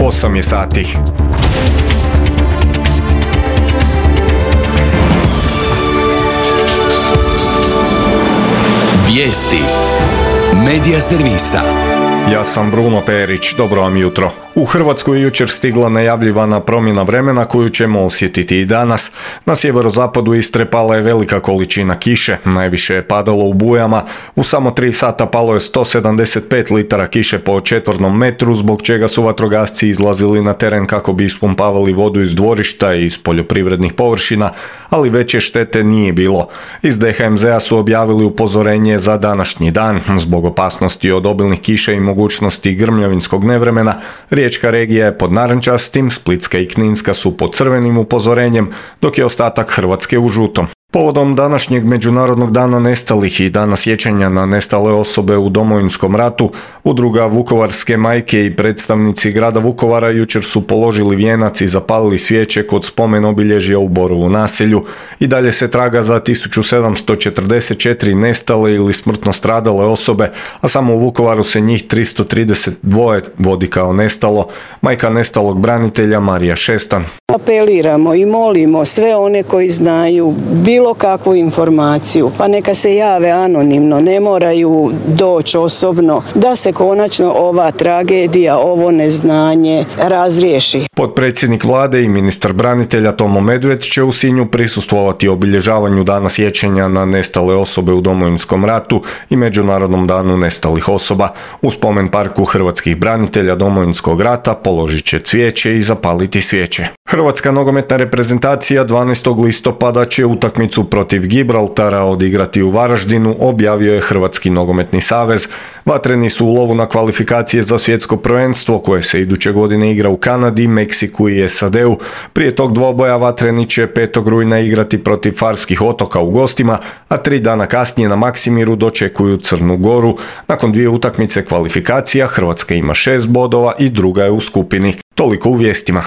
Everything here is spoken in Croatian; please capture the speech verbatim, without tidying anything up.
osam je sati. Vijesti Medija servisa. Ja sam Bruno Perić, dobro vam jutro. U Hrvatsku je jučer stigla najavljivana promjena vremena koju ćemo osjetiti i danas. Na sjeverozapadu Istre pala je velika količina kiše, najviše je padalo u Bujama. U samo tri sata palo je sto sedamdeset pet litara kiše po četvornom metru, zbog čega su vatrogasci izlazili na teren kako bi ispumpavali vodu iz dvorišta i iz poljoprivrednih površina, ali veće štete nije bilo. Iz D H M Z-a su objavili upozorenje za današnji dan. Zbog opasnosti od obilnih kiša i mogućnosti grmljavinskog nevremena, Riječka regija je pod narančastim, Splitska i Kninska su pod crvenim upozorenjem, dok je ostatak Hrvatske u žutom. Povodom današnjeg Međunarodnog dana nestalih i dana sjećanja na nestale osobe u Domovinskom ratu, udruga Vukovarske majke i predstavnici grada Vukovara jučer su položili vijenac i zapalili svijeće kod spomen obilježja u Borovu naselju. I dalje se traga za tisuću sedamsto četrdeset četiri nestale ili smrtno stradale osobe, a samo u Vukovaru se njih tristo trideset dva vodi kao nestalo. Majka nestalog branitelja Marija Šestan. Apeliramo i molimo sve one koji znaju bilo kakvu informaciju, pa neka se jave anonimno, ne moraju doći osobno, da se konačno ova tragedija, ovo neznanje razriješi. Potpredsjednik vlade i ministar branitelja Tomo Medved će u Sinju prisustvovati obilježavanju dana sjećanja na nestale osobe u Domovinskom ratu i Međunarodnom danu nestalih osoba. U spomen parku hrvatskih branitelja Domovinskog rata položit će cvijeće i zapaliti svijeće. Hrvatska nogometna reprezentacija dvanaestog listopada će utakmicu protiv Gibraltara odigrati u Varaždinu, objavio je Hrvatski nogometni savez. Vatreni su u lovu na kvalifikacije za svjetsko prvenstvo koje se iduće godine igra u Kanadi, Meksiku i S A D-u. Prije tog dvoboja Vatreni će petog rujna igrati protiv Farskih otoka u gostima, a tri dana kasnije na Maksimiru dočekuju Crnu Goru. Nakon dvije utakmice kvalifikacija Hrvatska ima šest bodova i druga je u skupini. Toliko u vijestima.